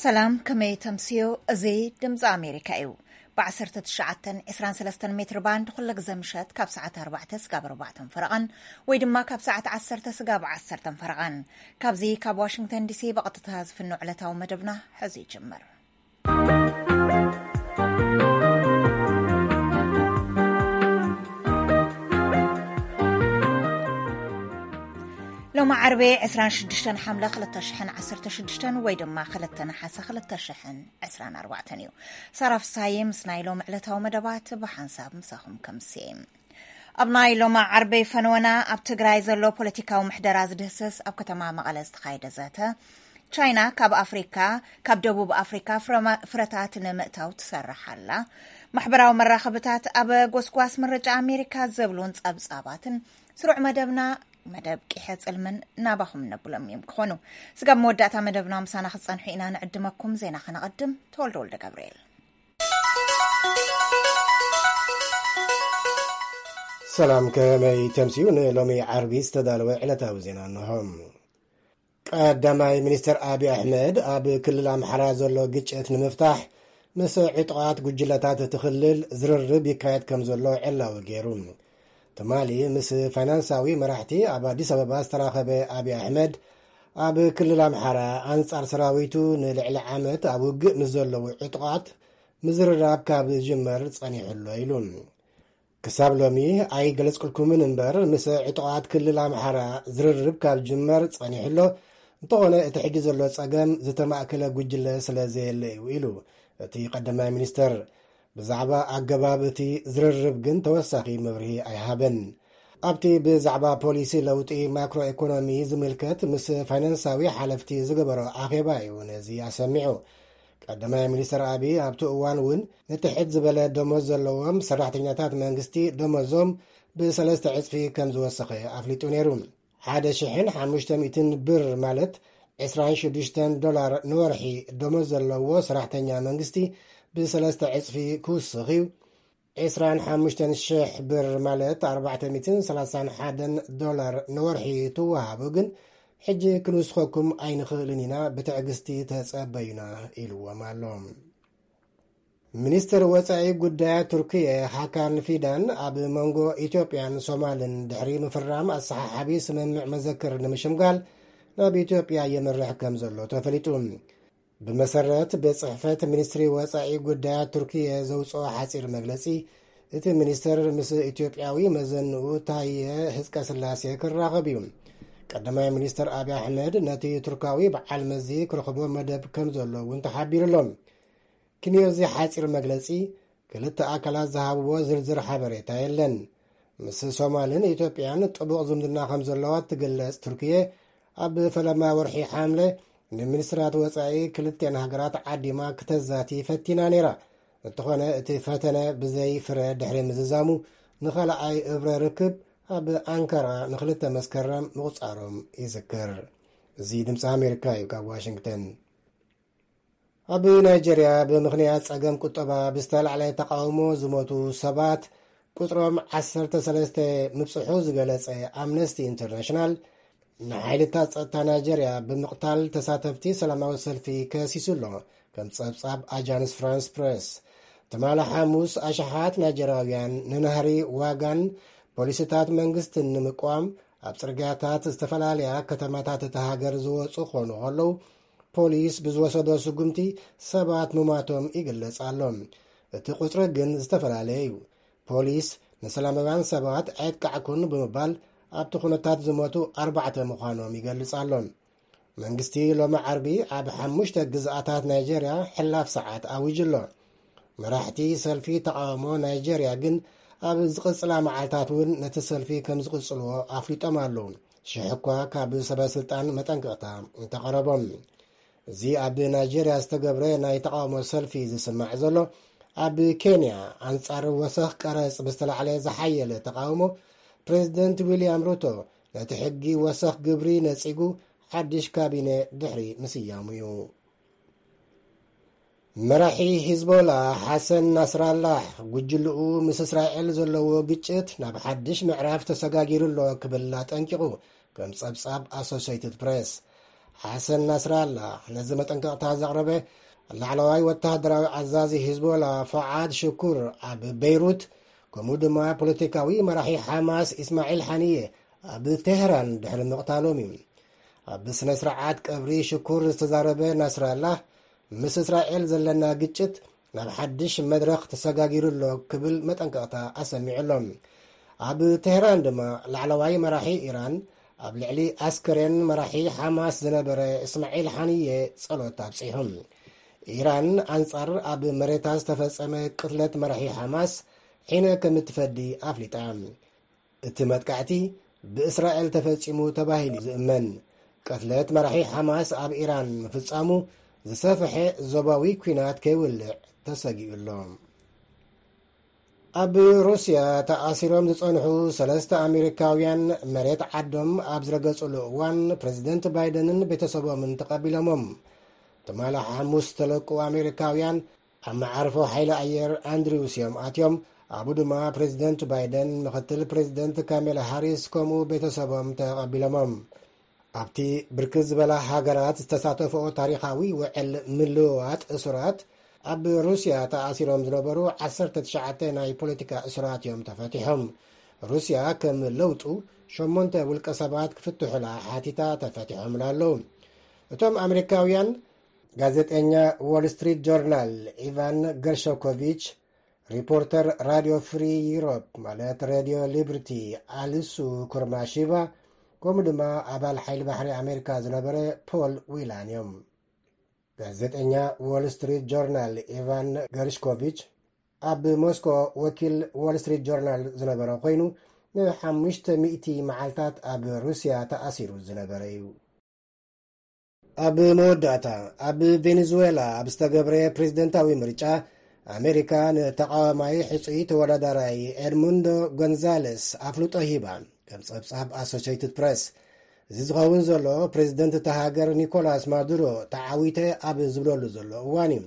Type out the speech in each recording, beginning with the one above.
ሰላም፣ ከመይ ተምስዮ? እዚ ድምፂ ኣሜሪካ እዩ። ብ19 23 ሜትር ባንድ ኩለ ግዘ ምሸት ካብ ሰዓት ኣርባዕተ ስጋብ ኣርባዕተን ፈረቓን፣ ወይ ድማ ካብ ሰዓት ዓሰርተ ስጋብ ዓሰርተን ፈረቓን። ካብዚ ካብ ዋሽንግተን ዲሲ ብቐጥታ ዝፍኖ ዕለታዊ መደብና ሕዚ ይጅምር። ሎሚ ዓርቢ 26 ሓምለ 2016 ወይ ድማ 2 ነሓሰ 2024 እዩ። ሳራ ፍሳዬ ምስ ናይ ሎሚ ዕለታዊ መደባት ብሓንሳብ ምሳኹም ከምስየ። ኣብ ናይ ሎሚ ዓርቢ ፈነወና፣ ኣብ ትግራይ ዘሎ ፖለቲካዊ ምሕደራ ዝድህስስ ኣብ ከተማ መቐለ ዝተኻየደ ዘተ፣ ቻይና ካብ ኣፍሪካ፣ ካብ ደቡብ ኣፍሪካ ፍረማ-፣ ፍረታት ንምእታው ትሰርሕ ኣላ፣ ማሕበራዊ መራኸብታት ኣብ ጎስጓስ ምርጫ ኣሜሪካ ዝብሉን ጸብጻባትን ስሩዕ መደብና፣ መደብ ቂሐ ጽልምን ናባኹም ነብሎም እዮም ክኾኑ። ስጋብ መወዳእታ መደብና ምሳና ክትጸንሑ ኢና ንዕድመኩም። ዜና ከነቐድም፣ ተወልደ ወልደ ገብርኤል። ሰላም፣ ከመይ ተምስዩ? ንሎሚ ዓርቢ ዝተዳለወ ዕለታዊ ዜና እንሆ። ቀዳማይ ሚኒስትር ኣብይ ኣሕመድ ኣብ ክልል ኣምሓራ ዘሎ ግጭት ንምፍታሕ ምስ ዕጡቓት ጉጅለታት እቲ ክልል ዝርርብ ይካየድ ከም ዘሎ ዕላዊ ገይሩ። ትማሊ ምስ ፋይናንሳዊ መራሕቲ ኣብ ኣዲስ ኣበባ ዝተራኸበ ኣብይ ኣሕመድ፣ ኣብ ክልል ኣምሓራ ኣንጻር ሰራዊቱ ንልዕሊ ዓመት ኣብ ውግእ ምስ ዘለዉ ዕጡቓት ምዝርራብ ካብ ዝጅመር ጸኒሑ ኣሎ ኢሉ። ክሳብ ሎሚ ኣይገለጽኩልኩምን እምበር፣ ምስ ዕጡቓት ክልል ኣምሓራ ዝርርብ ካብ ጅመር ጸኒሑ ኣሎ። እንተኾነ፣ እቲ ሕጂ ዘሎ ጸገም ዝተማእከለ ጉጅለ ስለ ዘየለ እዩ ኢሉ እቲ ቀዳማይ ሚኒስተር። ብዛዕባ ኣገባብ እቲ ዝርርብ ግን ተወሳኺ መብርሂ ኣይሃበን። ኣብቲ ብዛዕባ ፖሊሲ ለውጢ ማክሮ ኢኮኖሚ ዝምልከት ምስ ፋይናንሳዊ ሓለፍቲ ዝገበሮ ኣኼባ እዩ ነዚ ኣሰሚዑ። ቀዳማይ ሚኒስተር ኣብይ ኣብቲ እዋን እውን ንትሕት ዝበለ ደሞዝ ዘለዎም ሰራሕተኛታት መንግስቲ ደሞዞም ብሰለስተ ዕጽፊ ከም ዝወሰኸ ኣፍሊጡ ነይሩ። ሓደ ሽሕን ሓሙሽተ ሚእትን ብር፣ ማለት ዕስራን ሽዱሽተን ዶላር ንወርሒ ደሞዝ ዘለዎ ሰራሕተኛ መንግስቲ ብሰለስተ ዕጽፊ ክውስኽ እዩ። ዕስራን ሓሙሽተን ሽሕ ብር፣ ማለት ኣርባዕተ ሚእትን ሰላሳን ሓደን ዶላር ንወርሒ ትወሃቡ ግን፣ ሕጂ ክንውስኸኩም ኣይንኽእልን ኢና፣ ብትዕግስቲ ተጸበዩና ኢልዎም ኣሎ። ሚኒስትር ወጻኢ ጉዳያት ቱርክየ ሃካን ፊዳን ኣብ መንጎ ኢትዮጵያን ሶማልን ድሕሪ ምፍራም ኣሰሓሓቢ ስምምዕ መዘክር ንምሽምጋል ናብ ኢትዮጵያ የምርሕ ከም ዘሎ ተፈሊጡ። ብመሰረት ቤት ጽሕፈት ሚኒስትሪ ወጻኢ ጉዳያት ቱርክየ ዘውጽኦ ሓጺር መግለጺ፣ እቲ ሚኒስተር ምስ ኢትዮጵያዊ መዘንኡ ታየ ህዝቀ ስላሴ ክራኸብ እዩ። ቀዳማይ ሚኒስተር ኣብይ ኣሕመድ ነቲ ቱርካዊ በዓል መዚ ክረኽቦ መደብ ከም ዘሎ እውን ተሓቢሩ ኣሎ። ክንዮ እዚ ሓጺር መግለጺ፣ ክልተ ኣካላት ዝሃብዎ ዝርዝር ሓበሬታ የለን። ምስ ሶማልን ኢትዮጵያን ጥቡቕ ዝምድና ከም ዘለዋ እትግለጽ ቱርክየ፣ ኣብ ፈለማ ወርሒ ሓምለ ንሚኒስትራት ወጻኢ ክልቲኣን ሃገራት ዓዲማ ክተዛቲ ፈቲና ነይራ። እንተኾነ፣ እቲ ፈተነ ብዘይ ፍረ ድሕሪ ምዝዛሙ፣ ንኻልኣይ እብረ ርክብ ኣብ ኣንካራ ንክልተ መስከረም ምቑጻሮም ይዝክር። እዚ ድምፂ ኣሜሪካ እዩ፣ ካብ ዋሽንግተን። ኣብ ናይጀርያ ብምኽንያት ጸገም ቁጠባ ብዝተላዕለ ተቃውሞ ዝሞቱ ሰባት ቁጽሮም ዓሰርተ ሰለስተ ምብጽሑ ዝገለጸ ኣምነስቲ ኢንተርናሽናል፣ ንሓይልታት ጸጥታ ናይጀርያ ብምቕታል ተሳተፍቲ ሰላማዊ ሰልፊ ከሲሱ ኣሎ። ከም ጸብጻብ ኣጃንስ ፍራንስ ፕሬስ፣ ትማሊ ሓሙስ ኣሽሓት ናይጀርያውያን ንናህሪ ዋጋን ፖሊሲታት መንግስትን ንምቅዋም ኣብ ጽርግያታት ዝተፈላለያ ከተማታት እታ ሃገር ዝወጹ ክኾኑ ከለዉ፣ ፖሊስ ብዝወሰዶ ስጉምቲ ሰባት ምማቶም ይግለጽ ኣሎ። እቲ ቁጽሪ ግን ዝተፈላለየ እዩ። ፖሊስ ንሰላማውያን ሰባት ኣየጥቃዕኩን ብምባል፣ ኣብቲ ኩነታት ዝሞቱ ኣርባዕተ ምዃኖም ይገልጽ ኣሎ። መንግስቲ ሎሚ ዓርቢ ኣብ ሓሙሽተ ግዝኣታት ናይጀርያ ሕላፍ ሰዓት ኣዊጁ ኣሎ። መራሕቲ ሰልፊ ተቃውሞ ናይጀርያ ግን ኣብ ዝቕጽላ መዓልታት እውን ነቲ ሰልፊ ከም ዝቕጽልዎ ኣፍሊጦም ኣለዉ። ሽሕ እኳ ካብ ሰበ ስልጣን መጠንቀቕታ እንተቐረቦም። እዚ ኣብ ናይጀርያ ዝተገብረ ናይ ተቃውሞ ሰልፊ ዝስማዕ ዘሎ፣ ኣብ ኬንያ ኣንጻር ወሰኽ ቀረጽ ብዝተላዕለ ዝሓየለ ተቃውሞ፣ ፕሬዚደንት ዊልያም ሩቶ ነቲ ሕጊ ወሰኽ ግብሪ ነጺጉ ሓድሽ ካቢነ ድሕሪ ምስያሙ እዩ። መራሒ ሂዝቦላ ሓሰን ናስራላህ፣ ጉጅልኡ ምስ እስራኤል ዘለዎ ግጭት ናብ ሓድሽ ምዕራፍ ተሰጋጊሩ ኣሎ ክብል ኣጠንቂቑ፣ ከም ጸብጻብ ኣሶሴይትድ ፕሬስ። ሓሰን ናስራላ ነዚ መጠንቀቕታ ዘቕረበ ላዕለዋይ ወተሃደራዊ ኣዛዚ ሂዝቦላ ፋዓድ ሽኩር ኣብ በይሩት፣ ከምኡ ድማ ፖለቲካዊ መራሒ ሓማስ ኢስማዒል ሓንየ ኣብ ቴህራን ድሕሪ ምቕታሎም እዩ። ኣብ ስነ ስርዓት ቀብሪ ሽኩር ዝተዛረበ ናስራላ፣ ምስ እስራኤል ዘለና ግጭት ናብ ሓድሽ መድረኽ ተሰጋጊሩ ኣሎ ክብል መጠንቀቕታ ኣሰሚዑ ኣሎ። ኣብ ቴህራን ድማ ላዕለዋይ መራሒ ኢራን ኣብ ልዕሊ ኣስከሬን መራሒ ሓማስ ዝነበረ እስማዒል ሓንየ ጸሎት ኣብጺሑ። ኢራን ኣንጻር ኣብ መሬታ ዝተፈጸመ ቅትለት መራሒ ሓማስ ሒነ ከም እትፈዲ ኣፍሊጣ። እቲ መጥቃዕቲ ብእስራኤል ተፈጺሙ ተባሂሉ ዝእመን ቅትለት መራሒ ሓማስ ኣብ ኢራን ምፍጻሙ ዝሰፍሐ ዞባዊ ኲናት ከይውልዕ ተሰጊኡ ኣሎ። ኣብ ሩስያ ተኣሲሮም ዝጸንሑ ሰለስተ ኣሜሪካውያን መሬት ዓዶም ኣብ ዝረገጹሉ እዋን፣ ፕሬዚደንት ባይደንን ቤተሰቦምን ተቐቢሎሞም። ትማሊ ሓሙስ ዝተለቁ ኣሜሪካውያን ኣብ መዓርፎ ሓይሊ ኣየር ኣንድሪውስ እዮም ኣትዮም። ኣብኡ ድማ ፕሬዚደንት ባይደን፣ ምክትል ፕሬዚደንት ካሜላ ሃሪስ ከምኡ ቤተሰቦም ተቐቢሎሞም። ኣብቲ ብርክት ዝበላ ሃገራት ዝተሳተፈኦ ታሪኻዊ ውዕል ምልውዋጥ እሱራት፣ ኣብ ሩስያ ተኣሲሮም ዝነበሩ ዓሰርተ ትሽዓተ ናይ ፖለቲካ እሱራት እዮም ተፈቲሖም። ሩስያ ከም ለውጡ ሸሞንተ ውልቀ ሰባት ክፍትሑላ ሓቲታ ተፈቲሖምላ ኣለዉ። እቶም ኣሜሪካውያን ጋዜጠኛ ዎል ስትሪት ጆርናል ኢቫን ገርሾኮቪች፣ ሪፖርተር ራድዮ ፍሪ ዩሮፕ ማለት ሬድዮ ሊብርቲ ኣሊሱ ኩርማሺቫ፣ ከምኡ ድማ ኣባል ሓይሊ ባሕሪ ኣሜሪካ ዝነበረ ፖል ዊላን እዮም። ጋዜጠኛ ዎል ስትሪት ጆርናል ኢቫን ገርሽኮቪች፣ ኣብ ሞስኮ ወኪል ዎል ስትሪት ጆርናል ዝነበረ ኮይኑ፣ ንሓሙሽተ ሚእቲ መዓልታት ኣብ ሩስያ ተኣሲሩ ዝነበረ እዩ። ኣብ መወዳእታ፣ ኣብ ቬኔዙዌላ ኣብ ዝተገብረ ፕሬዝደንታዊ ምርጫ፣ ኣሜሪካ ንተቃዋማይ ሕጹይ ተወዳዳራይ ኤድሙንዶ ጎንዛለስ ኣፍልጦ ሂባ፣ ከም ጸብጻብ ኣሶሼይትድ ፕረስ። እዚ ዝኸውን ዘሎ፣ ፕሬዝደንት እታ ሃገር ኒኮላስ ማዱሮ ተዓዊተ ኣብ ዝብለሉ ዘሎ እዋን እዩ።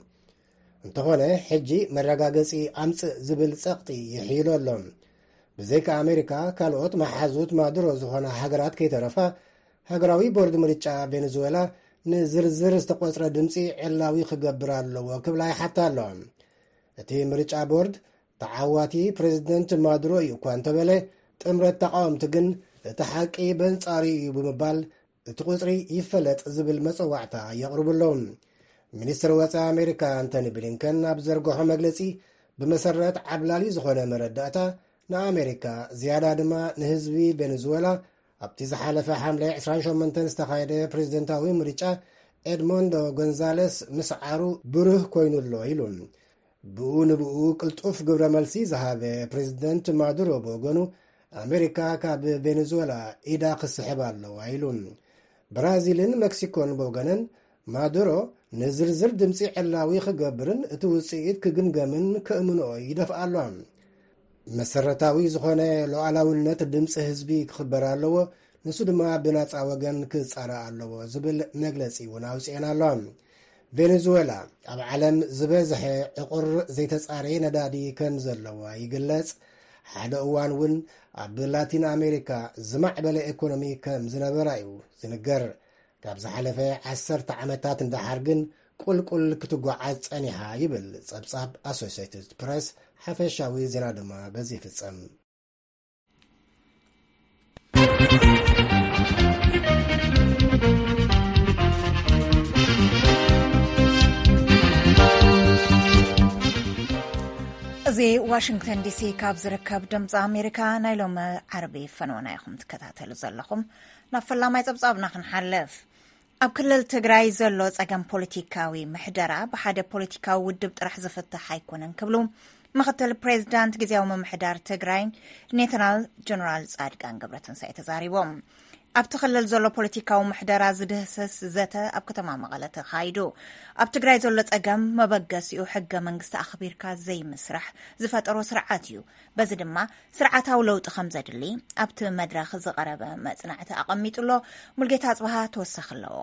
እንተኾነ፣ ሕጂ መረጋገጺ ኣምጽእ ዝብል ጸቕጢ ይሕይሎ ኣሎ። ብዘይካ ኣሜሪካ፣ ካልኦት መሓዙት ማዱሮ ዝኾና ሃገራት ከይተረፋ፣ ሃገራዊ ቦርድ ምርጫ ቬኔዙዌላ ንዝርዝር ዝተቖጽረ ድምጺ ዕላዊ ክገብር ኣለዎ ክብላ ይሓታ ኣለዋ። እቲ ምርጫ ቦርድ፣ ተዓዋቲ ፕሬዝደንት ማዱሮ እዩ እኳ እንተበለ፣ ጥምረት ተቃወምቲ ግን እቲ ሓቂ በንጻሩ እዩ ብምባል፣ እቲ ቁጽሪ ይፈለጥ ዝብል መጸዋዕታ የቕርቡ ኣለዉ። ሚኒስትር ወጻኢ ኣሜሪካ ኣንቶኒ ብሊንከን ኣብ ዘርግሖ መግለጺ፣ ብመሰረት ዓብላሊ ዝኾነ መረዳእታ ንኣሜሪካ፣ ዝያዳ ድማ ንህዝቢ ቬኔዙዌላ፣ ኣብቲ ዝሓለፈ ሓምለ ዕስራን ሸሞንተን ዝተኻየደ ፕሬዝደንታዊ ምርጫ ኤድሞንዶ ጎንዛለስ ምስዓሩ ብሩህ ኮይኑ ኣሎ ኢሉ። ብኡ ንብኡ ቅልጡፍ ግብረ መልሲ ዝሃበ ፕሬዝደንት ማዱሮ ብወገኑ፣ ኣሜሪካ ካብ ቬኔዙዌላ ኢዳ ክስሕብ ኣለዋ ኢሉ። ብራዚልን ሜክሲኮን ብወገነን፣ ማዱሮ ንዝርዝር ድምፂ ዕላዊ ክገብርን እቲ ውፅኢት ክግምገምን ከእምንኦ ይደፍኣ ኣለዋ። መሰረታዊ ዝኾነ ሉዓላውነት ድምፂ ህዝቢ ክኽበር ኣለዎ፣ ንሱ ድማ ብናፃ ወገን ክፃረ ኣለዎ ዝብል መግለፂ እውን ኣውፅኤን ኣለዋ። ቬኔዙዌላ ኣብ ዓለም ዝበዝሐ ዕቑር ዘይተፃረየ ነዳዲ ከም ዘለዋ ይግለፅ። ሓደ እዋን እውን ኣብ ላቲን ኣሜሪካ ዝማዕበለ ኢኮኖሚ ከም ዝነበራ እዩ ዝንገር። ካብ ዝሓለፈ ዓሰርተ ዓመታት ንደሓር ግን ቁልቁል ክትጓዓዝ ጸኒሓ ይብል ጸብጻብ ኣሶሴትድ ፕረስ። ሓፈሻዊ ዜና ድማ በዚ ይፍጸም። እዚ ዋሽንግተን ዲሲ ካብ ዝርከብ ድምፂ ኣሜሪካ ናይ ሎሚ ዓርቢ ፈነወና ኢኹም ትከታተሉ ዘለኹም። ናብ ፈላማይ ጸብጻብና ክንሓልፍ። ኣብ ክልል ትግራይ ዘሎ ጸገም ፖለቲካዊ ምሕደራ ብሓደ ፖለቲካዊ ውድብ ጥራሕ ዝፍታሕ ኣይኮነን ክብሉ ምኽትል ፕሬዚዳንት ግዜያዊ ምምሕዳር ትግራይ ሌተናል ጀነራል ጻድቃን ገብረትንሳኤ ተዛሪቦም። ኣብቲ ክልል ዘሎ ፖለቲካዊ ምሕደራ ዝድህስስ ዘተ ኣብ ከተማ መቐለ ተኻይዱ። ኣብ ትግራይ ዘሎ ጸገም መበገሲኡ ሕገ መንግስቲ ኣኽቢርካ ዘይምስራሕ ዝፈጠሮ ስርዓት እዩ። በዚ ድማ ስርዓታዊ ለውጢ ከም ዘድሊ ኣብቲ መድረኽ ዝቐረበ መጽናዕቲ ኣቐሚጡ ኣሎ። ሙልጌታ ኣጽብሃ ተወሳኺ ኣለዎ።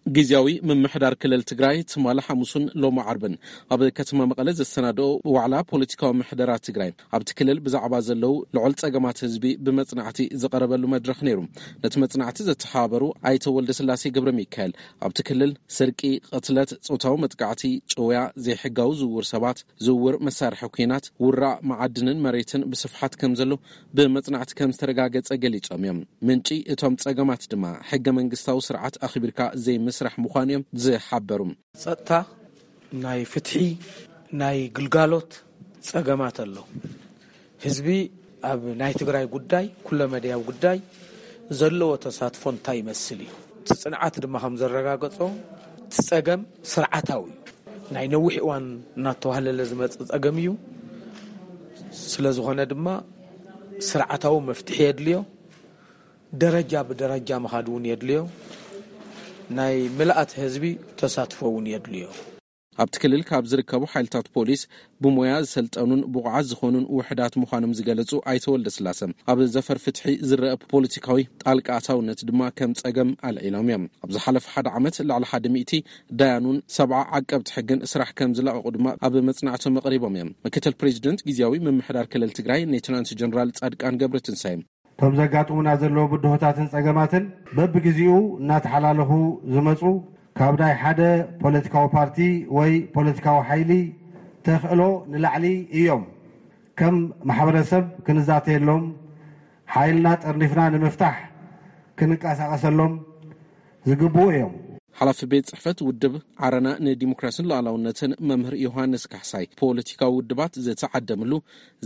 ግዝያዊ ምምሕዳር ክልል ትግራይ ትማሊ ሓሙስን ሎሚ ዓርብን ኣብ ከተማ መቐለ ዘሰናድኦ ዋዕላ ፖለቲካዊ ምሕደራ ትግራይ፣ ኣብቲ ክልል ብዛዕባ ዘለዉ ልዑል ጸገማት ህዝቢ ብመጽናዕቲ ዝቐረበሉ መድረኽ ነይሩ። ነቲ መጽናዕቲ ዘተሓባበሩ ኣይተ ወልደስላሴ ገብረ ሚካኤል፣ ኣብቲ ክልል ስርቂ፣ ቅትለት፣ ጾታዊ መጥቃዕቲ፣ ጭውያ፣ ዘይሕጋዊ ዝውውር ሰባት፣ ዝውውር መሳርሒ ኲናት፣ ውራእ መዓድንን መሬትን ብስፍሓት ከም ዘሎ ብመጽናዕቲ ከም ዝተረጋገጸ ገሊጾም እዮም። ምንጪ እቶም ጸገማት ድማ ሕገ መንግስታዊ ስርዓት ኣኽቢርካ ዘይምስራሕ ምዃኑ እዮም ዝሓበሩ። ጸጥታ፣ ናይ ፍትሒ፣ ናይ ግልጋሎት ጸገማት ኣሎ። ህዝቢ ኣብ ናይ ትግራይ ጉዳይ፣ ኩለመዳያዊ ጉዳይ ዘለዎ ተሳትፎ እንታይ ይመስል እዩ? እቲ ጽንዓት ድማ ከም ዘረጋገጾ፣ እቲ ጸገም ስርዓታዊ እዩ። ናይ ነዊሕ እዋን እናተዋህለለ ዝመጽእ ጸገም እዩ። ስለ ዝኾነ ድማ ስርዓታዊ መፍትሒ የድልዮ። ደረጃ ብደረጃ ምኻድ እውን የድልዮ። ናይ ምልኣት ህዝቢ ተሳትፎ እውን የድልዮ። ኣብቲ ክልል ካብ ዝርከቡ ሓይልታት ፖሊስ ብሞያ ዝሰልጠኑን ብቑዓት ዝኾኑን ውሕዳት ምዃኖም ዝገለጹ ኣይተ ወልደስላሰ፣ ኣብ ዘፈር ፍትሒ ዝረአ ፖለቲካዊ ጣልቃ ኣታውነት ድማ ከም ጸገም ኣልዒሎም እዮም። ኣብ ዝሓለፈ ሓደ ዓመት ልዕሊ ሓደ ሚእቲ ዳያኑን ሰብዓ ዓቀብቲ ሕግን ስራሕ ከም ዝለቐቑ ድማ ኣብ መጽናዕቶም ኣቕሪቦም እዮም። ምክትል ፕሬዚደንት ግዝያዊ ምምሕዳር ክልል ትግራይ ሌተናንት ጀነራል ጻድቃን ገብረትንሳኤ፣ እቶም ዘጋጥሙና ዘለዉ ብድሆታትን ጸገማትን በብግዜኡ እናተሓላለኹ ዝመጹ፣ ካብ ናይ ሓደ ፖለቲካዊ ፓርቲ ወይ ፖለቲካዊ ሓይሊ ተኽእሎ ንላዕሊ እዮም። ከም ማሕበረሰብ ክንዛተየሎም፣ ሓይልና ጠርኒፍና ንምፍታሕ ክንንቀሳቐሰሎም ዝግብኡ እዮም። ሓላፊ ቤት ጽሕፈት ውድብ ዓረና ንዲሞክራሲን ሉዓላውነትን መምህር ዮሃንስ ካሕሳይ፣ ፖለቲካዊ ውድባት ዝተዓደምሉ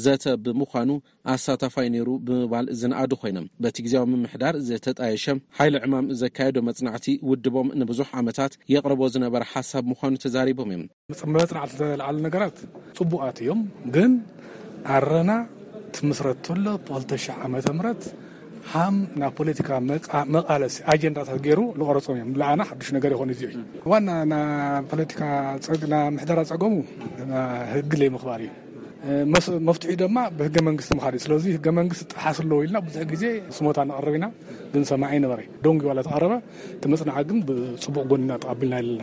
ዘተ ብምዃኑ ኣሳታፋይ ነይሩ ብምባል ዝነኣዱ ኮይኖም፣ በቲ ግዝያዊ ምምሕዳር ዝተጣየሸ ሓይሊ ዕማም ዘካየዶ መጽናዕቲ ውድቦም ንብዙሕ ዓመታት የቕርቦ ዝነበረ ሓሳብ ምዃኑ ተዛሪቦም እዮም። መጽ-፣ መጽናዕቲ ዝተልዓሉ ነገራት ጽቡቓት እዮም፣ ግን ዓረና ትምስረት ተሎ ብክልተ ሽሕ ዓመተ ምህረት ሃም ናብ ፖለቲካ መቃ-፣ መቃለሲ ኣጀንዳታት ገይሩ ዝቐረጾም እዮም። ንዓና ሓዱሽ ነገር ይኾን እዚ እዩ። ዋና ና ፖለቲካ ጸግ-፣ ና ምሕደራ ጸገሙ ና ህጊ ለይ ምኽባር እዩ። መስ-፣ መፍትሒ ድማ ብህገ መንግስቲ ምኻድ እዩ። ስለዚ ህገ መንግስቲ ጥሓስ ኣለዎ ኢልና ብዙሕ ግዜ ስሞታ ነቕርብ ኢና፣ ግን ሰማዒ ነበረ። ደንጉ ዋላ ተቐረበ፣ እቲ መጽናዕቲ ግን ብጽቡቕ ጎኒና ተቐቢልና ኣለና።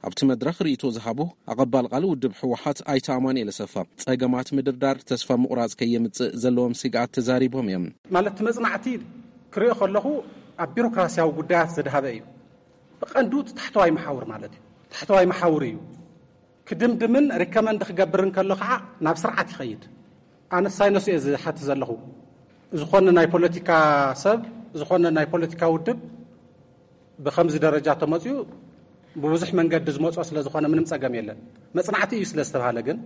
ኣብቲ መድረኽ ርእይቶ ዝሃቡ ኣቐባል ቃል ውድብ ህወሓት ኣይተ ኣማኑኤል ኣሰፋ፣ ጸገማት ምድርዳር ተስፋ ምቑራጽ ከየምጽእ ዘለዎም ስግኣት ተዛሪቦም እዮም። ማለት እቲ መጽናዕቲ ክሪኦ ከለኹ ኣብ ቢሮክራሲያዊ ጉዳያት ዘድሃበ እዩ። ብቐንዱ እቲ ታሕተዋይ መሓውር ማለት እዩ። ታሕተዋይ መሓውር እዩ። ክድምድምን ሪከመንድ ክገብርን ከሎ ከዓ ናብ ስርዓት ይኸይድ። ኣነ ሳይነሱ እየ ዝሓቲ ዘለኹ። ዝኾነ ናይ ፖለቲካ ሰብ፣ ዝኾነ ናይ ፖለቲካ ውድብ ብኸምዚ ደረጃ ተመፅኡ ብብዙሕ መንገዲ ዝመፅኦ ስለ ዝኾነ ምንም ፀገም የለን። መፅናዕቲ እዩ ስለ ዝተባሃለ ግን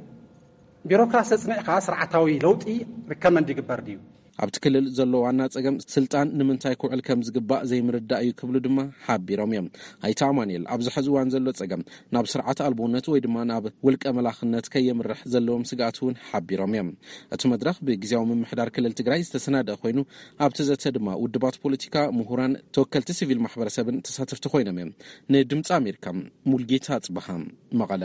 ቢሮክራሲ ኣፅኒዕካ ስርዓታዊ ለውጢ ሪከመንድ ይግበር ድዩ? ኣብቲ ክልል ዘሎ ዋና ጸገም ስልጣን ንምንታይ ክውዕል ከም ዝግባእ ዘይምርዳእ እዩ ክብሉ ድማ ሓቢሮም እዮም። ኣይተ ኣማኑኤል ኣብዚ ሕዚ እዋን ዘሎ ጸገም ናብ ስርዓት ኣልቦነት ወይ ድማ ናብ ውልቀ መላኽነት ከየምርሕ ዘለዎም ስግኣት እውን ሓቢሮም እዮም። እቲ መድረኽ ብግዜያዊ ምምሕዳር ክልል ትግራይ ዝተሰናደኣ ኮይኑ ኣብቲ ዘተ ድማ ውድባት ፖለቲካ፣ ምሁራን፣ ተወከልቲ ሲቪል ማሕበረሰብን ተሳተፍቲ ኮይኖም እዮም። ንድምፂ ኣሜሪካ ሙልጌታ ኣጽብሃ መቐለ።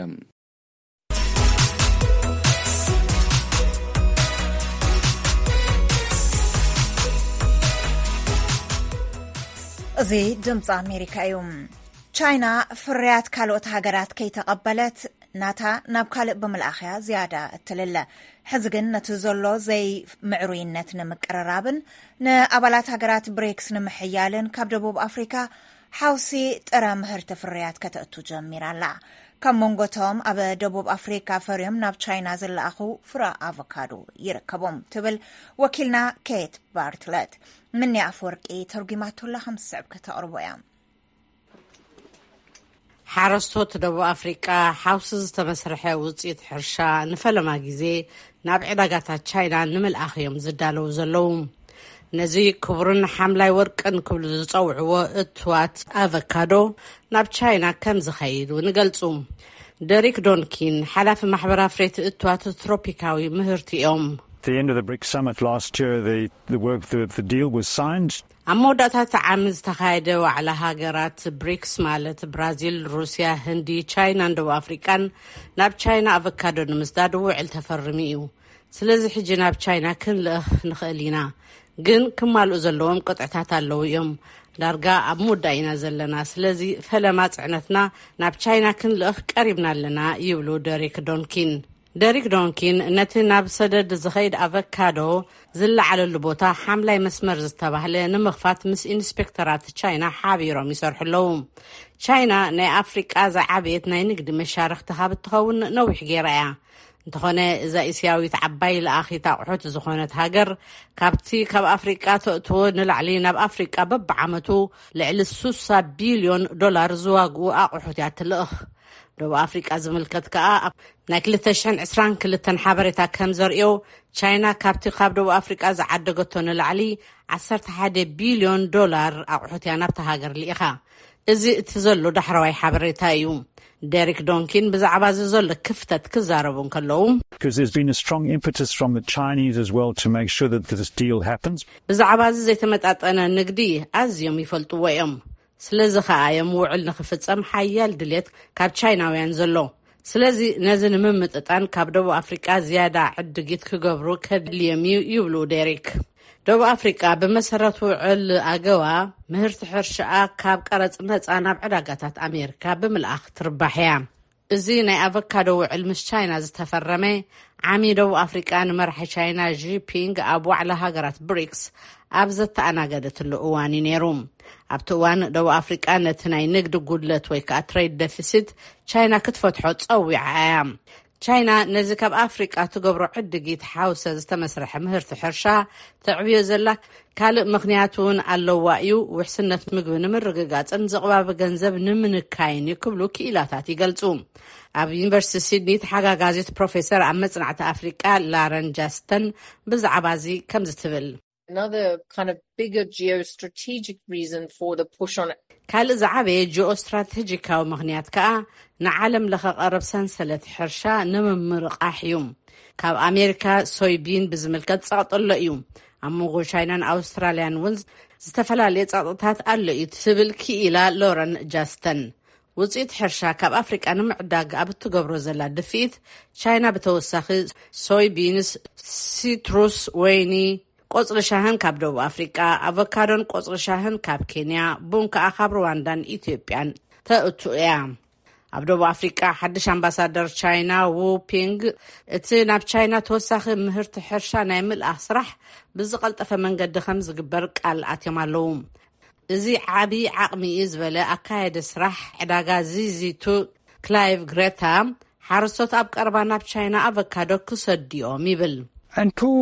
እዚ ድምፂ ኣሜሪካ እዩ። ቻይና ፍርያት ካልኦት ሃገራት ከይተቐበለት ናታ ናብ ካልእ ብምልኣኽያ ዝያዳ እትልለ። ሕዚ ግን ነቲ ዘሎ ዘይምዕሩይነት ንምቅርራብን ንኣባላት ሃገራት ብሪክስ ንምሕያልን ካብ ደቡብ ኣፍሪካ ሓውሲ ጥረ ምህርቲ ፍርያት ከተእቱ ጀሚራ ኣላ። ካብ መንጎቶም ኣብ ደቡብ ኣፍሪካ ፈርዮም ናብ ቻይና ዝለኣኹ ፍረ ኣቮካዶ ይርከቦም ትብል ወኪልና ኬት ባርትለት። ምኒ ኣፈወርቂ ተርጉማቶላ ከም ዝስዕብ ከተቕርቦ እያ። ሓረስቶት ደቡብ ኣፍሪቃ ሓውሲ ዝተመስርሐ ውፅኢት ሕርሻ ንፈለማ ግዜ ናብ ዕዳጋታት ቻይና ንምልኣኽ እዮም ዝዳለዉ ዘለዉ። ነዚ ክቡርን ሓምላይ ወርቅን ክብሉ ዝጸውዕዎ እትዋት ኣቨካዶ ናብ ቻይና ከም ዝኸይድ እውን ይገልጹ። ደሪክ ዶንኪን ሓላፊ ማሕበር ኣፍረይቲ እትዋት ትሮፒካዊ ምህርቲ እዮም። The end of the BRICS summit last year, the, the work, the, the deal was signed. ኣብ መወዳእታ እቲ ዓሚ ዝተኻየደ ዋዕላ ሃገራት ብሪክስ ማለት ብራዚል፣ ሩስያ፣ ህንዲ፣ ቻይናን ደቡብ ኣፍሪቃን ናብ ቻይና ኣቨካዶ ንምስዳድ ውዕል ተፈርሙ እዩ። ስለዚ ሕጂ ናብ ቻይና ክንልእኽ ንኽእል ኢና፣ ግን ክማልኡ ዘለዎም ቅጥዕታት ኣለዉ እዮም። ዳርጋ ኣብ ምውዳእ ኢና ዘለና። ስለዚ ፈለማ ጽዕነትና ናብ ቻይና ክንልእኽ ቀሪብና ኣለና፣ ይብሉ ደሪክ ዶንኪን። ደሪክ ዶንኪን ነቲ ናብ ሰደድ ዝኸይድ ኣቨካዶ ዝለዓለሉ ቦታ ሓምላይ መስመር ዝተባህለ ንምኽፋት ምስ ኢንስፔክተራት ቻይና ሓቢሮም ይሰርሑ ኣለዉ። ቻይና ናይ ኣፍሪቃ ዝዓበየት ናይ ንግዲ መሻርኽቲ ካብ እትኸውን ነዊሕ ገይራ እያ። እንተኾነ፣ እዛ እስያዊት ዓባይ ለኣኺት ኣቑሑት ዝኾነት ሃገር፣ ካብቲ ካብ ኣፍሪቃ ተእትዎ ንላዕሊ ናብ ኣፍሪቃ በብዓመቱ ልዕሊ ስሳ ቢልዮን ዶላር ዝዋግኡ ኣቑሑት እያ ትልእኽ። ደቡብ ኣፍሪቃ ዝምልከት ከኣ፣ ኣብ ናይ ክልተ ሽሕን ዕስራን ክልተን ሓበሬታ ከም ዘርእዮ፣ ቻይና ካብቲ ካብ ደቡብ ኣፍሪቃ ዝዓደገቶ ንላዕሊ ዓሰርተ ሓደ ቢልዮን ዶላር ኣቑሑት እያ ናብታ ሃገር ልኢኻ። እዚ እቲ ዘሎ ዳሕረዋይ ሓበሬታ እዩ። ደሪክ ዶንኪን ብዛዕባ እዚ ዘሎ ክፍተት ክዛረቡ እንከለዉ፣ Because there's been a strong impetus from the Chinese as well to make sure that this deal happens. ብዛዕባ እዚ ዘይተመጣጠነ ንግዲ ኣዝዮም ይፈልጥዎ እዮም። ስለዚ ከኣ እዮም ውዕል ንኽፍጸም ሓያል ድሌት ካብ ቻይናውያን ዘሎ። ስለዚ ነዚ ንምምጥጣን ካብ ደቡብ ኣፍሪቃ ዝያዳ ዕድጊት ክገብሩ ከድልዮም እዩ፣ ይብሉ ደሪክ። ደቡብ ኣፍሪቃ ብመሰረት ውዕል ኣገዋ ምህርቲ ሕርሻኣ ካብ ቀረጽ ነጻ ናብ ዕዳጋታት ኣሜሪካ ብምልኣኽ ትርባሕ እያ። እዚ ናይ ኣቨካዶ ውዕል ምስ ቻይና ዝተፈረመ ዓሚ ደቡብ ኣፍሪቃ ንመራሒ ቻይና ዢፒንግ ኣብ ዋዕላ ሃገራት ብሪክስ ኣብ ዘተኣናገደትሉ እዋን እዩ ነይሩ። ኣብቲ እዋን ደቡብ ኣፍሪቃ ነቲ ናይ ንግዲ ጉድለት ወይ ከዓ ትሬድ ደፊሲት ቻይና ክትፈትሖ ጸዊዓ እያ። ቻይና ነዚ ካብ ኣፍሪቃ ትገብሮ ዕድጊት ሓውሰ ዝተመስረሐ ምህርቲ ሕርሻ ተዕብዮ ዘላ ካልእ ምኽንያት እውን ኣለዋ እዩ። ውሕስነት ምግቢ ንምርግጋጽን ዝቕባበ ገንዘብ ንምንካይን እዩ ክብሉ ክኢላታት ይገልጹ። ኣብ ዩኒቨርሲቲ ሲድኒ ተሓጋጋዚት ፕሮፌሰር ኣብ መጽናዕቲ ኣፍሪቃ ላረን ጃስተን ብዛዕባ እዚ ከምዚ ትብል። Another kind of bigger geostrategic reason for the push on ካልእ ዝዓበየ ጂኦስትራቴጂካዊ ምኽንያት ከኣ ንዓለም ለኸ ቀረብ ሰንሰለት ሕርሻ ንምምርቓሕ እዩ። ካብ ኣሜሪካ ሶይቢን ብዝምልከት ጸቕጢ ኣሎ እዩ። ኣብ መንጎ ቻይናን ኣውስትራልያን እውን ዝተፈላለየ ጸቕጥታት ኣሎ እዩ ትብል ክኢላ ሎረን ጃስተን። ውፅኢት ሕርሻ ካብ ኣፍሪቃ ንምዕዳግ ኣብ እትገብሮ ዘላ ድፍኢት፣ ቻይና ብተወሳኺ ሶይቢንስ፣ ሲትሩስ፣ ወይኒ፣ ቆፅሊ ሻህን ካብ ደቡብ ኣፍሪቃ፣ ኣቮካዶን ቆፅሊ ሻህን ካብ ኬንያ፣ ቡን ከዓ ካብ ሩዋንዳን ኢትዮጵያን ተእቱ እያ። ኣብ ደቡብ ኣፍሪቃ ሓድሽ ኣምባሳደር ቻይና ዉ ፒንግ፣ እቲ ናብ ቻይና ተወሳኺ ምህርቲ ሕርሻ ናይ ምልኣኽ ስራሕ ብዝቐልጠፈ መንገዲ ከም ዝግበር ቃል ኣትዮም ኣለዉ። እዚ ዓቢ ዓቕሚ እዩ ዝበለ ኣካየዲ ስራሕ ዕዳጋ ዚዚቱ ክላይቭ ግሬታ፣ ሓረስቶት ኣብ ቀረባ ናብ ቻይና ኣቨካዶ ክሰድዮም ይብል። Until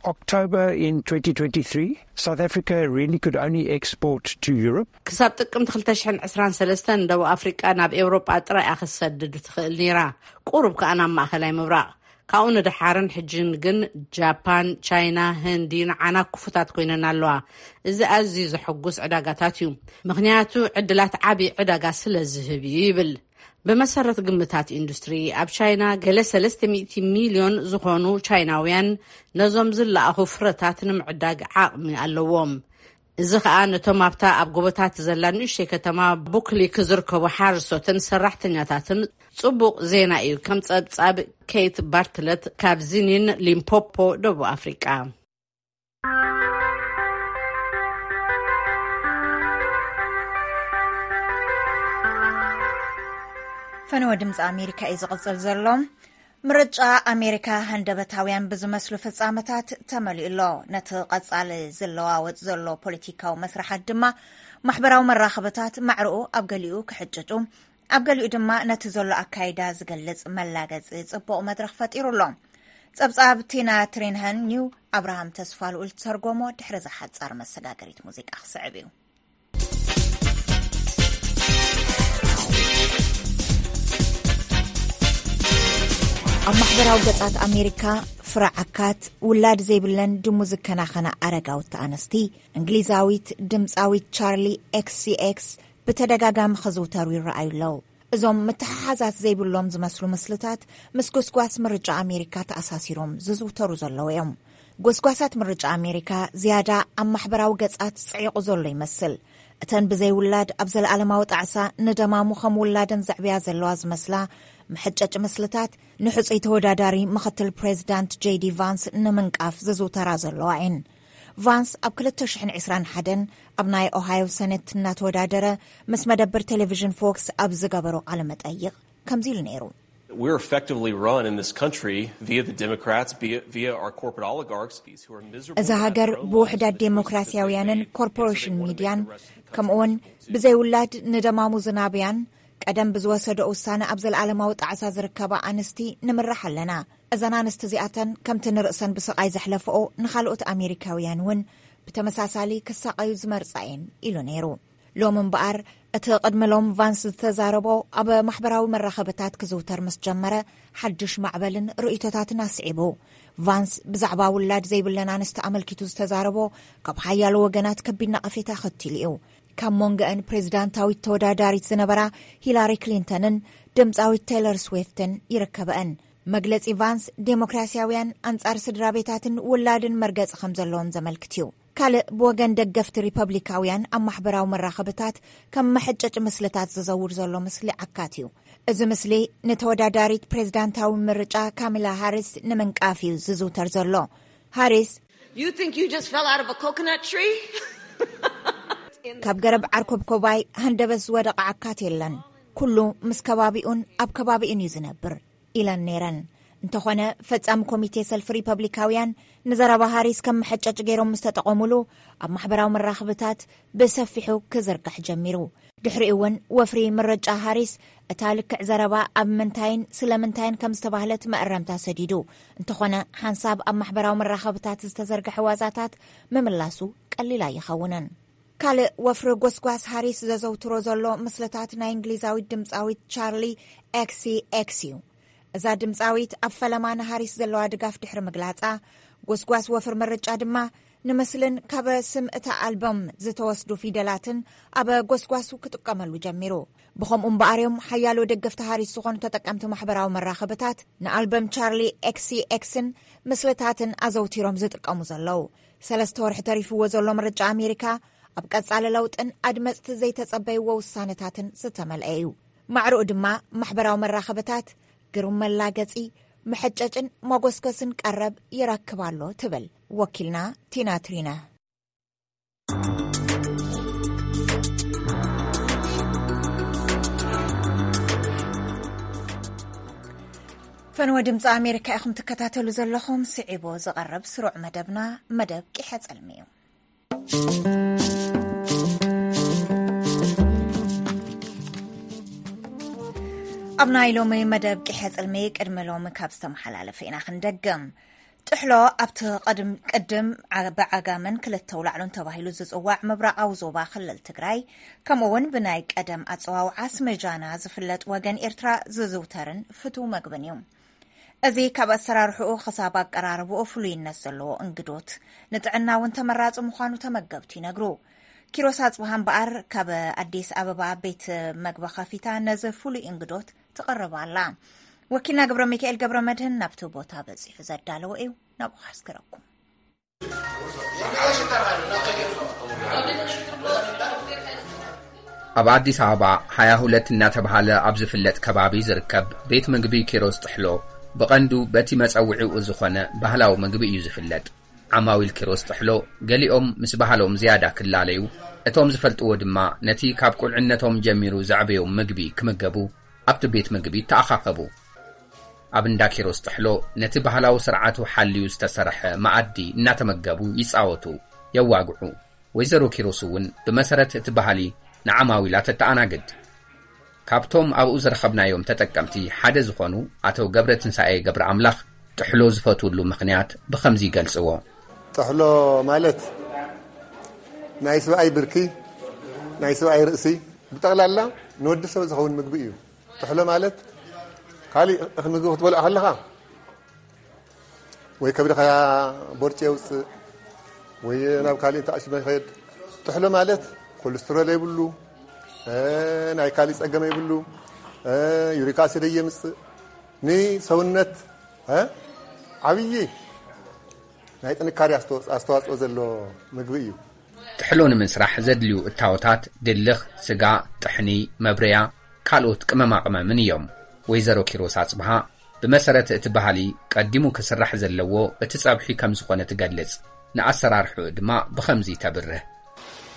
October in twenty twenty-three, South Africa really could only export to Europe. ክሳብ ጥቅምቲ ክልተ ሽሕን ዕስራን ሰለስተን ደቡብ ኣፍሪቃ ናብ ኤውሮጳ ጥራይ እያ ክትሰድድ ትኽእል ነይራ፣ ቁሩብ ከኣ ናብ ማእኸላይ ምብራቕ። ካብኡ ንደሓርን ሕጅን ግን ጃፓን፣ ቻይና፣ ህንዲ ንዓና ክፉታት ኮይነን ኣለዋ። እዚ ኣዝዩ ዘሐጉስ ዕዳጋታት እዩ፣ ምኽንያቱ ዕድላት ዓቢ ዕዳጋ ስለ ዝህብ እዩ ይብል። ብመሰረት ግምታት ኢንዱስትሪ፣ ኣብ ቻይና ገለ ሰለስተ ሚእቲ ሚልዮን ዝኾኑ ቻይናውያን ነዞም ዝለኣኹ ፍረታት ንምዕዳግ ዓቕሚ ኣለዎም። እዚ ኸኣ ነቶም ኣብታ ኣብ ጎቦታት ዘላ ንእሽተይ ከተማ ቡክሊክ ዝርከቡ ሓረስቶትን ሰራሕተኛታትን ጽቡቕ ዜና እዩ። ከም ጸብጻብ ኬት ባርትለት ካብ ዚኒን ሊምፖፖ ደቡብ ኣፍሪቃ። ፈነወ ድምፂ ኣሜሪካ እዩ ዝቕፅል ዘሎ። ምርጫ ኣሜሪካ ሃንደበታውያን ብዝመስሉ ፍጻመታት ተመሊኡ ኣሎ። ነቲ ቀጻሊ ዝለዋወጥ ዘሎ ፖለቲካዊ መስርሓት ድማ ማሕበራዊ መራኸብታት ማዕርኡ ኣብ ገሊኡ ክሕጭጩ፣ ኣብ ገሊኡ ድማ ነቲ ዘሎ ኣካይዳ ዝገልጽ መላገጺ ጽቡቕ መድረኽ ፈጢሩ ኣሎ። ጸብጻብ ቲና ትሪንሃን ኒው ኣብርሃም ተስፋ ልኡል ዝተርጎሞ ድሕሪ ዝሓጻር መሰጋገሪት ሙዚቃ ክስዕብ እዩ። ኣብ ማሕበራዊ ገጻት ኣሜሪካ ፍረ ዓካት፣ ውላድ ዘይብለን ድሙ ዝከናኸና ኣረጋውቲ ኣንስቲ፣ እንግሊዛዊት ድምጻዊት ቻርሊ ኤክስሲኤክስ ብተደጋጋሚ ክዝውተሩ ይረኣዩ ኣለዉ። እዞም ምትሓሓዛት ዘይብሎም ዝመስሉ ምስልታት ምስ ጎስጓስ ምርጫ ኣሜሪካ ተኣሳሲሮም ዝዝውተሩ ዘለዉ እዮም። ጎስጓሳት ምርጫ ኣሜሪካ ዝያዳ ኣብ ማሕበራዊ ገጻት ጽዒቑ ዘሎ ይመስል። እተን ብዘይ ውላድ ኣብ ዘለኣለማዊ ጣዕሳ ንደማሙ ከም ውላደን ዘዕብያ ዘለዋ ዝመስላ መሐጨጭ ምስልታት ንሕጹይ ተወዳዳሪ ምኽትል ፕሬዚዳንት ጄዲ ቫንስ ንምንቃፍ ዝዝውተራ ዘለዋ እየን። ቫንስ ኣብ ክልተ ሽሕን ዕስራን ሓደን ኣብ ናይ ኦሃዮ ሰነት እናተወዳደረ ምስ መደብር ቴሌቪዥን ፎክስ ኣብ ዝገበሮ ቃለ መጠይቕ ከምዚ ኢሉ ነይሩ። We're effectively run in this country via the Democrats, via, via our corporate oligarchs, these who are miserable. እዛ ሃገር ብውሕዳት ዴሞክራሲያውያንን ኮርፖሬሽን ሚድያን ከምኡውን ብዘይ ውላድ ንደማሙ ዝናብያን ቀደም ብዝወሰዶ ውሳነ ኣብ ዘለኣለማዊ ጣዕሳ ዝርከባ ኣንስቲ ንምራሕ ኣለና። እዘን ኣንስቲ እዚኣተን ከምቲ ንርእሰን ብስቓይ ዘሕለፈኦ ንኻልኦት ኣሜሪካውያን እውን ብተመሳሳሊ ክሳቐዩ ዝመርጻ እየን ኢሉ ነይሩ። ሎም እምበኣር እቲ ቅድሚ ሎም ቫንስ ዝተዛረቦ ኣብ ማሕበራዊ መራኸብታት ክዝውተር ምስ ጀመረ ሓድሽ ማዕበልን ርእይቶታትን ኣስዒቡ። ቫንስ ብዛዕባ ውላድ ዘይብለን ኣንስቲ ኣመልኪቱ ዝተዛረቦ ካብ ሓያሎ ወገናት ከቢድ ነቐፌታ ከቲሉ እዩ። ካብ መንጎአን ፕሬዚዳንታዊት ተወዳዳሪት ዝነበራ ሂላሪ ክሊንተንን ድምፃዊት ቴይለር ስዊፍትን ይርከበአን። መግለፂ ቫንስ ዴሞክራሲያውያን ኣንፃር ስድራ ቤታትን ውላድን መርገፂ ከም ዘለዎም ዘመልክት እዩ። ካልእ ብወገን ደገፍቲ ሪፐብሊካውያን ኣብ ማሕበራዊ መራኸብታት ከም መሐጨጭ ምስልታት ዝዘውር ዘሎ ምስሊ ዓካት እዩ። እዚ ምስሊ ንተወዳዳሪት ፕሬዚዳንታዊ ምርጫ ካሚላ ሃሪስ ንምንቃፍ እዩ ዝዝውተር ዘሎ። ሃሪስ You think you just fell out of a coconut tree? ካብ ገረብ ዓርኮብኮባይ ሃንደበት ዝወደቐ ዓካት የለን። ኩሉ ምስ ከባቢኡን ኣብ ከባቢኡን እዩ ዝነብር ኢለን ነይረን። እንተኾነ ፈጻሚ ኮሚቴ ሰልፊ ሪፐብሊካውያን ንዘረባ ሃሪስ ከም መሐጨጭ ገይሮም ምስ ተጠቐሙሉ ኣብ ማሕበራዊ መራኽብታት ብሰፊሑ ክዝርጋሕ ጀሚሩ። ድሕሪኡ እውን ወፍሪ ምርጫ ሃሪስ እታ ልክዕ ዘረባ ኣብ ምንታይን ስለምንታይን ከም ዝተባህለት መእረምታ ሰዲዱ። እንተኾነ ሓንሳብ ኣብ ማሕበራዊ መራኸብታት ዝተዘርግሐ ዋዛታት ምምላሱ ቀሊል ኣይኸውንን። ካልእ ወፍሪ ጎስጓስ ሃሪስ ዘዘውትሮ ዘሎ ምስልታት ናይ እንግሊዛዊት ድምፃዊት ቻርሊ ኤክሲ ኤክስ እዩ። እዛ ድምፃዊት ኣብ ፈለማ ንሃሪስ ዘለዋ ድጋፍ ድሕሪ ምግላፃ ጎስጓስ ወፍሪ ምርጫ ድማ ንምስልን ካብ ስም እታ ኣልበም ዝተወስዱ ፊደላትን ኣብ ጎስጓሱ ክጥቀመሉ ጀሚሩ። ብኸምኡ እምበኣር እዮም ሓያሎ ደገፍቲ ሃሪስ ዝኾኑ ተጠቀምቲ ማሕበራዊ መራኸብታት ንኣልበም ቻርሊ ኤክሲ ኤክስን ምስልታትን ኣዘውቲሮም ዝጥቀሙ ዘለዉ። ሰለስተ ወርሒ ተሪፍዎ ዘሎ ምርጫ ኣሜሪካ ኣብ ቀጻሊ ለውጥን ኣድመጽቲ ዘይተጸበይዎ ውሳነታትን ዝተመልአ እዩ። ማዕረኡ ድማ ማሕበራዊ መራኸብታት ግሩም መላገጺ፣ መሐጨጭን መጎስጎስን ቀረብ ይረክብ ኣሎ ትብል ወኪልና ቲና ትሪነ። ፈንወ ድምፂ ኣሜሪካ ኢኹም ትከታተሉ ዘለኹም። ስዒቡ ዝቐርብ ስሩዕ መደብና መደብ ቂሐ ጸልሚ እዩ። ኣብ ናይ ሎሚ መደብ ቂሐ ጽልሚ ቅድሚ ሎሚ ካብ ዝተመሓላለፈ ኢና ክንደግም። ጥሕሎ ኣብቲ ቅድም ቅድም ዓ- ብዓጋመን ክልተ ውላዕሎን ተባሂሉ ዝጽዋዕ ምብራቓዊ ዞባ ክልል ትግራይ፣ ከምኡ እውን ብናይ ቀደም ኣጸዋውዓ ስመጃና ዝፍለጥ ወገን ኤርትራ ዝዝውተርን ፍቱው መግብን እዩ። እዚ ካብ ኣሰራርሕኡ ክሳብ ኣቀራርብኡ ፍሉይነት ዘለዎ እንግዶት፣ ንጥዕና እውን ተመራጺ ምዃኑ ተመገብቲ ይነግሩ። ኪሮስ ኣጽብሃ እምበኣር ካብ ኣዲስ ኣበባ ቤት መግቢ ከፊታ ነዚ ፍሉይ እንግዶት ትቕርብ ኣላ። ወኪልና ገብረ ሚካኤል ገብረ መድህን ናብቲ ቦታ በጺሑ ዘዳለዎ እዩ፣ ናብኡ ከሕስክረኩም። ኣብ ኣዲስ ኣበባ ሃያ ሁለት እናተባህለ ኣብ ዝፍለጥ ከባቢ ዝርከብ ቤት ምግቢ ኪሮስ ጥሕሎ ብቐንዱ በቲ መጸውዒኡ ዝኾነ ባህላዊ ምግቢ እዩ ዝፍለጥ። ዓማዊል ኪሮስ ጥሕሎ ገሊኦም ምስ ባህሎም ዝያዳ ክላለዩ፣ እቶም ዝፈልጥዎ ድማ ነቲ ካብ ቁልዕነቶም ጀሚሩ ዘዕበዮም ምግቢ ክምገቡ ኣብቲ ቤት ምግቢ ይተኣኻኸቡ። ኣብ እንዳ ኪሮስ ጥሕሎ ነቲ ባህላዊ ስርዓቱ ሓልዩ ዝተሰርሐ መኣዲ እናተመገቡ ይጻወቱ፣ የዋግዑ። ወይዘሮ ኪሮስ እውን ብመሰረት እቲ ባህሊ ንዓማዊላ ተተኣናግድ። ካብቶም ኣብኡ ዝረኸብናዮም ተጠቀምቲ ሓደ ዝኾኑ ኣቶ ገብረ ትንሳኤ ገብረ ኣምላኽ ጥሕሎ ዝፈትውሉ ምኽንያት ብኸምዚ ይገልጽዎ። ጥሕሎ ማለት ናይ ሰብኣይ ብርኪ፣ ናይ ሰብኣይ ርእሲ፣ ብጠቕላላ ንወዲ ሰብ ዝኸውን ምግቢ እዩ። ጥሕሎ ማለት ካሊእ እኽሊ ምግቢ ክትበልዖ ከለኻ ወይ ከብድኻ ቦርጭ የውፅእ ወይ ናብ ካሊእ ተኣሽመ ይኸድ። ጥሕሎ ማለት ኮሌስትሮል የብሉ፣ እ፣ ናይ ካሊእ ፀገም የብሉ፣ እ፣ ዩሪክ ኣሲድ የምፅእ፣ ንሰውነት እ፣ ዓብዪ ናይ ጥንካሬ ኣስተዋ- ኣስተዋፅኦ ዘሎ ምግቢ እዩ። ጥሕሎ ንምስራሕ ዘድልዩ እታወታት ድልኽ፣ ስጋ፣ ጥሕኒ፣ መብረያ፣ ካልኦት ቅመማቕመምን እዮም። ወይዘሮ ኪሮስ ኣጽብሃ ብመሰረት እቲ ባህሊ ቀዲሙ ክስራሕ ዘለዎ እቲ ጸብሒ ከም ዝኾነ ትገልጽ። ንኣሰራርሕኡ ድማ ብኸምዚ ተብርህ።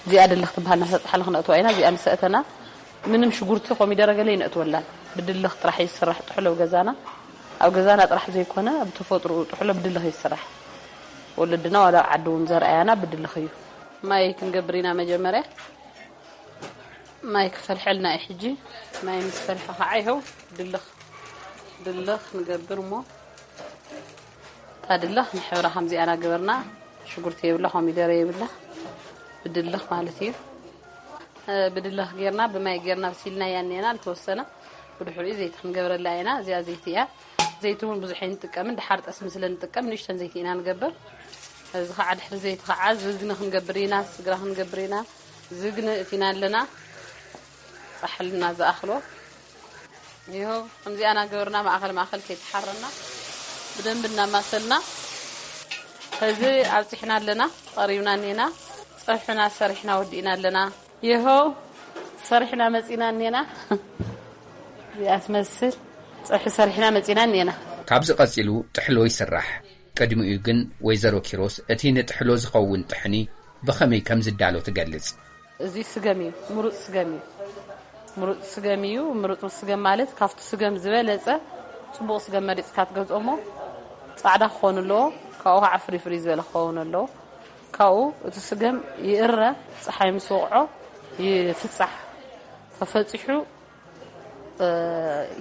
እዚኣ ድልኽ ትበሃል፣ ናብታ ጻሕሊ ክነእትዋ ኢና። እዚኣ ምስ ኣእተና ምንም ሽጉርቲ ኮሚደረ ገለ ይነእትወላን። ብድልኽ ጥራሕ እዩ ዝስራሕ ጥሕሎ ኣብ ገዛና። ኣብ ገዛና ጥራሕ ዘይኮነ፣ ኣብ ተፈጥሮኡ ጥሕሎ ብድልኽ እዩ ዝስራሕ። ወለድና ዋላ ኣብ ዓዲ እውን ዘርኣያና ብድልኽ እዩ። ማይ ክንገብር ኢና መጀመርያ። ማይ ክፈልሐልና እዩ ሕጂ። ማይ ምስ ፈልሐ ከዓ ይኸው ድልኽ፣ ድልኽ ንገብር እሞ፣ እታ ድልኽ ንሕብራ ከምዚኣ እናገበርና፣ ሽጉርቲ የብላ፣ ኮሚደረ የብላ፣ ብድልኽ ማለት እዩ። እ፣ ብድልኽ ጌርና፣ ብማይ ጌርና ኣብሲልናያ እኒአና፣ ዝተወሰነ ብድሕሪኡ ዘይቲ ክንገብረላ ኢና። እዚኣ ዘይቲ እያ። ዘይቲ እውን ብዙሕ ኣይንጥቀምን፣ ደሓር ጠስሚ ስለ ንጥቀም ንእሽተን ዘይቲ ኢና ንገብር። እዚ ከዓ ድሕሪ ዘይቲ ከዓ ዝግነ ክንገብር ኢና፣ ስግራ ክንገብር ኢና። ዝግነ እቲና ኣለና፣ ጻሕልና ዝኣኽሎ። ይኸው ከምዚኣ እናገበርና ማእኸል ማእኸል ከይተሓረና ብደንቢ እናማሰልና፣ ሕዚ ኣብፂሕና ኣለና፣ ቀሪብና እኒና። ፀብሕና ሰሪሕና ወዲእና ኣለና። ይኸው ሰሪሕና መፂና እኒና። እዚኣ ትመስል ፀብሒ ሰሪሕና መፂና እኒና። ካብዚ ቀጺሉ ጥሕሎ ይስራሕ። ቅድሚኡ ግን ወይዘሮ ኪሮስ እቲ ንጥሕሎ ዝኸውን ጥሕኒ ብኸመይ ከም ዝዳሎ ትገልጽ። እዚ ስገም እዩ፣ ምሩጽ ስገም እዩ። ምሩጽ ስገም እዩ። ምሩጽ ስገም ማለት ካብቲ ስገም ዝበለጸ ጽቡቕ ስገም መሪጽካ ትገዝኦ እሞ ጻዕዳ ክኸውን ኣለዎ። ካብኡ ከዓ ፍሪ ፍሪ ዝበለ ክኸውን ኣለዎ። ካብኡ እቲ ስገም ይእረ፣ ጸሓይ ምስ ወቕዖ ይፍጻሕ። ተፈጺሑ፣ እ፣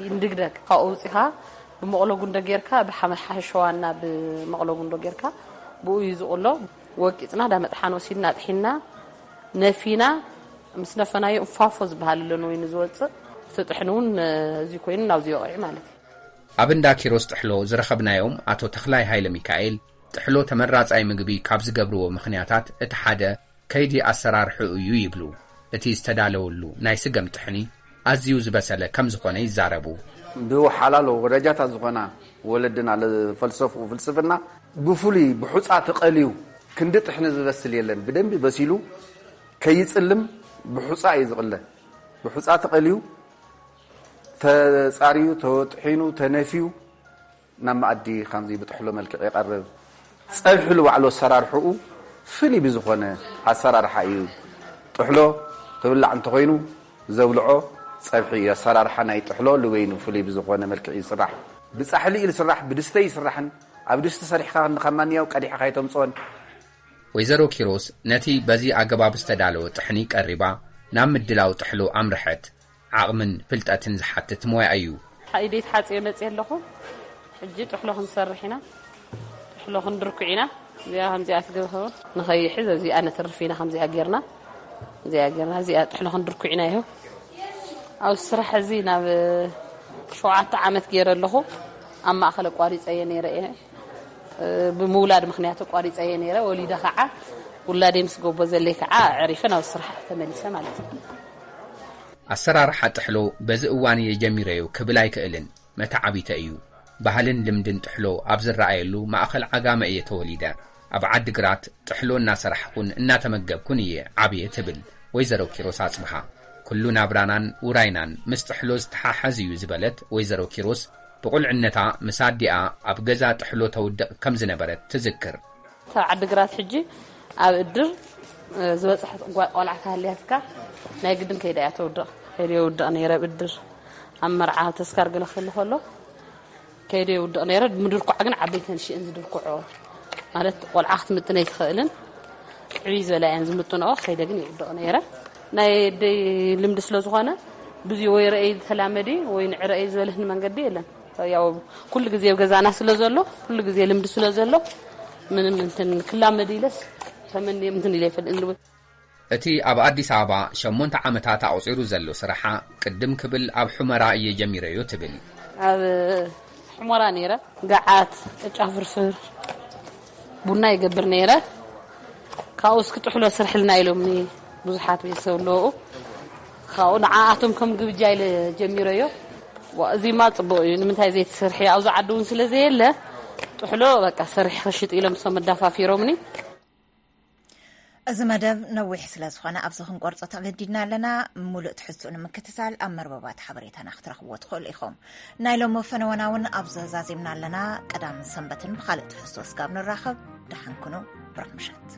ይንድግደግ። ካብኡ ኣውጺኻ ብመቕሎ ጉንዶ ጌርካ፣ ብሓመ-፣ ሓሸዋና ብመቕሎ ጉንዶ ጌርካ ብኡ እዩ ዝቕሎ። ወቂጽና ዳመጥሓን ወሲድና ኣጥሒንና ነፊና፣ ምስ ነፈናዮ እንፋፎ ዝበሃል ኣሎ ንወይኒ ዝወጽእ። እቲ ጥሕኒ እውን፣ እ፣ እዚ ኮይኑ ናብዚ ይወቕዕ ማለት እዩ። ኣብ እንዳ ኪሮስ ጥሕሎ ዝረኸብናዮም ኣቶ ተኽላይ ሃይለ ሚካኤል፣ ጥሕሎ ተመራጻይ ምግቢ ካብ ዝገብርዎ ምኽንያታት እቲ ሓደ ከይዲ ኣሰራርሕኡ እዩ ይብሉ። እቲ ዝተዳለወሉ ናይ ስገም ጥሕኒ ኣዝዩ ዝበሰለ ከም ዝኾነ ይዛረቡ። ብወሓላሉ ወረጃታት ዝኾና ወለድና ዝፈልሰፍኡ ፍልስፍና ብፍሉይ ብሑጻ ተቐልዩ ክንዲ ጥሕኒ ዝበስል የለን። ብደንቢ በሲሉ ከይጽልም ብሑጻ እዩ ዝቕለ። ብሑጻ ተቐልዩ፣ ተጻርዩ፣ ተወጥሒኑ፣ ተነፍዩ ናብ መኣዲ ከምዚ ብጥሕሎ መልክዕ ይቐርብ። ጸብሒ ንባዕሉ ኣሰራርሕኡ ፍሉይ ብዝኾነ ኣሰራርሓ እዩ። ጥሕሎ ክብላዕ እንተኾይኑ ዘብልዖ ጸብሒ እዩ። ኣሰራርሓ ናይ ጥሕሎ ንበይኑ ፍሉይ ብዝኾነ መልክዕ ይስራሕ። ብጻሕሊ እዩ ዝስራሕ፣ ብድስተ ይስራሕን ኣብ ድስቲ ሰሪሕካ ክንዲ ካብ ማንያው ቀዲሕኻ ኣይተምጽኦን። ወይዘሮ ኪሮስ ነቲ በዚ ኣገባብ ዝተዳለወ ጥሕኒ ቀሪባ ናብ ምድላው ጥሕሎ ኣምርሐት። ዓቕምን ፍልጠትን ዝሓትት ሞያ እዩ። ኢደይ ተሓጽየ መጽየ ኣለኹ። ሕጂ ጥሕሎ ክንሰርሕ ኢና። ጥሕሎ ክንድርኩዕ ኢና። እዚኣ ከምዚኣ ትገብር ንኸይሕዝ እዚኣ ነትርፍ ኢና። ከምዚኣ ጌርና፣ እዚኣ ጌርና፣ እዚኣ ጥሕሎ ክንድርኩዕ ኢና። ይኸው ኣብ ስራሕ እዚ ናብ ሸውዓተ ዓመት ገይረ ኣለኹ። ኣብ ማእኸል ኣቋሪፀየ ነይረ እየ። እ፣ ብምውላድ ምኽንያት ኣቋሪፀየ ነይረ። ወሊደ ከዓ ውላደይ ምስ ጎቦ ዘለይ ከዓ ኣዕሪፈ ናብ ስራሕ ተመሊሰ ማለት እዩ። ኣሰራርሓ ጥሕሎ በዚ እዋን እየ ጀሚረዮ ክብል ኣይክእልን። መተዓቢተ እዩ። ባህልን ልምድን ጥሕሎ ኣብ ዝረኣየሉ ማእኸል ዓጋመ እየ ተወሊደ። ኣብ ዓዲ ግራት ጥሕሎ እናሰራሕኩን እናተመገብኩን እየ ዓብየ ትብል ወይዘሮ ኪሮስ ኣጽብሃ። ኩሉ ናብራናን ውራይናን ምስ ጥሕሎ ዝተሓሓዝ እዩ ዝበለት ወይዘሮ ኪሮስ፣ ብቑልዕነታ ምስ ኣዲኣ ኣብ ገዛ ጥሕሎ ተውድቕ ከም ዝነበረት ትዝክር። ካብ ዓዲ ግራት ሕጂ ኣብ እድር፣ እ፣ ዝበጽሐት ጓ-፣ ቆልዓ ተሃልያትካ ናይ ግድን ከይዳ እያ ተውድቕ። ከይደ የውድቕ ነይረ ኣብ እድር። ኣብ መርዓ፣ ኣብ ተስካር ገለ ክህሉ ከሎ ከይደ የውድቕ ነይረ። ምድርኳዕ ግን ዓበይተን ሽእን ዝድርኩዖ ማለት ቆልዓ ክትምጥን ኣይትኽእልን። ዕብይ ዝበላ እየን ዝምጥንኦ። ከይደ ግን የውድቕ ነይረ። ናይ ኣደይ ልምዲ ስለ ዝኾነ ብዙ ወይ ረእይ ተላመዲ ወይ ንዕረእይ ዝበለህኒ መንገዲ የለን። ያው ኩሉ ግዜ ኣብ ገዛና ስለ ዘሎ፣ ኩሉ ግዜ ልምዲ ስለ ዘሎ ምንም እንትን ክላመድ ኢለስ ተመንየ እንትን ኢለ ይፈልጥ። እቲ ኣብ ኣዲስ ኣበባ ሸሞንተ ዓመታት ኣቑጺሩ ዘሎ ስራሓ ቅድም ክብል ኣብ ሑመራ እየ ጀሚረዮ ትብል። ኣብ ሑመራ ነይረ፣ ገዓት፣ ቅጫ ፍርፍር፣ ቡና ይገብር ነይረ። ካብኡ እስኪ ጥሕሎ ስርሕልና ኢሎምኒ ብዙሓት ቤተሰብ ኣለዉ። ካብኡ ንዓኣቶም ከም ግብጃ ኢለ ጀሚረዮ። ዋ፣ እዚማ ጽቡቕ እዩ፣ ንምንታይ ዘይትሰርሒ? ኣብዚ ዓዲ እውን ስለ ዘየለ ጥሕሎ በቃ ሰሪሕ ክሽጥ ኢሎም እሶም ኣዳፋፊሮምኒ። እዚ መደብ ነዊሕ ስለ ዝኾነ ኣብዚ ክንቆርጾ ተገዲድና ኣለና። ምሉእ ትሕዝትኡ ንምክትታል ኣብ መርበባት ሓበሬታና ክትረኽብዎ ትኽእሉ ኢኹም። ናይ ሎሚ ፈነወና እውን ኣብዚ ዛዚምና ኣለና። ቀዳምን ሰንበትን ብኻልእ ትሕዝቶ እስካብ ንራኸብ፣ ደሓን ኩኑ። ብሩኽ ምሸት።